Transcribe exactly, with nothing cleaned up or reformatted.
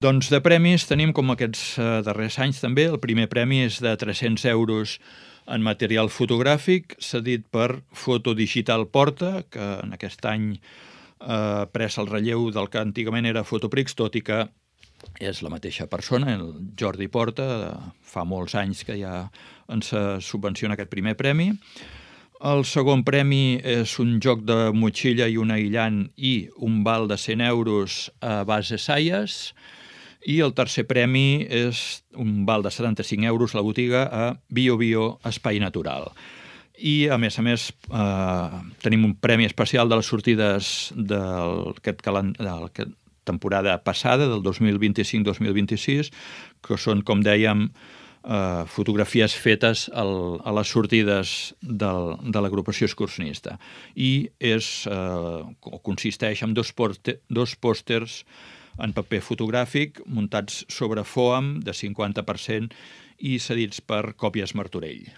Doncs de premis tenim, com aquests darrers anys també, el primer premi és de tres-cents euros en material fotogràfic, cedit per Fotodigital Porta, que en aquest any ha pres el relleu del que antigament era Fotoprix, tot i que és la mateixa persona, el Jordi Porta, fa molts anys que ja ens subvenciona aquest primer premi. El segon premi és un joc de motxilla i un aïllant i un val de cent euros a base Saies. I el tercer premi és un val de setanta-cinc euros a la botiga a Bio Bio Espai Natural. I, a més a més, eh, tenim un premi especial de les sortides d'aquest calendari, temporada passada, del dos mil vint-i-cinc dos mil vint-i-sis, que són, com dèiem, eh, fotografies fetes al, a les sortides del, de l'agrupació excursionista. I és, eh, consisteix en dos, porte, dos pòsters en paper fotogràfic muntats sobre fòam de cinquanta per cent i cedits per Còpies Martorell.